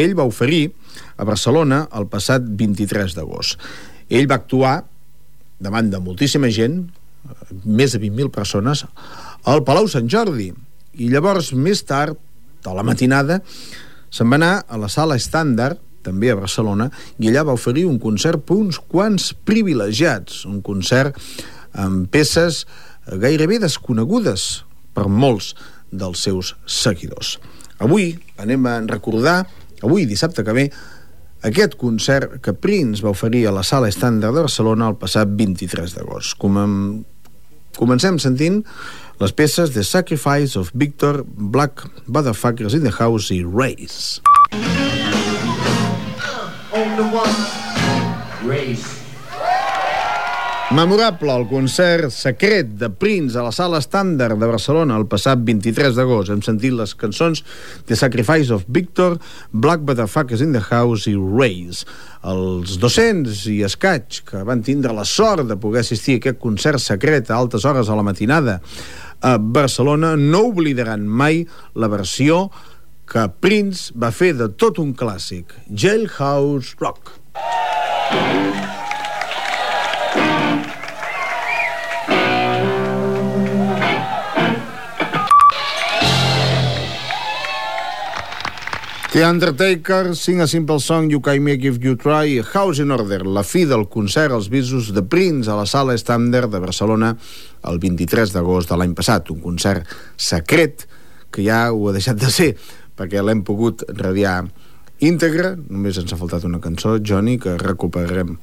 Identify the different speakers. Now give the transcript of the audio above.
Speaker 1: que ell va oferir a Barcelona el passat 23 d'agost. Ell va actuar davant de moltíssima gent, més de 20.000 persones, al Palau Sant Jordi, i llavors, més tard, a la matinada, se'n va anar a la Sala Estàndard, també a Barcelona, i allà va oferir un concert per uns quants privilegiats, un concert amb peces gairebé desconegudes per molts dels seus seguidors. Avui anem a recordar, avui dissabte que ve, aquest concert que Prince va oferir a la Sala Estàndard de Barcelona el passat 23 d'agost. Comencem sentint les peces The Sacrifice of Victor, Black Motherfuckers in the House i Race. Memorable el concert secret de Prince a la Sala Estàndard de Barcelona el passat 23 d'agost. Hem sentit les cançons The Sacrifice of Victor, Black Motherfuckers in the House i Race. Els 200 i escaig que van tindre la sort de poder assistir a aquest concert secret a altes hores a la matinada a Barcelona no oblidaran mai la versió que Prince va fer de tot un clàssic, Jailhouse Rock. The Undertaker, Sing a Simple Song, You Can Make If You Try, House in Order, la fi del concert als Bisos de Prince a la Sala Estàndard de Barcelona el 23 d'agost de l'any passat, un concert secret que ja ho ha deixat de ser perquè l'hem pogut radiar íntegre. Només ens ha faltat una cançó, Johnny, que recuperarem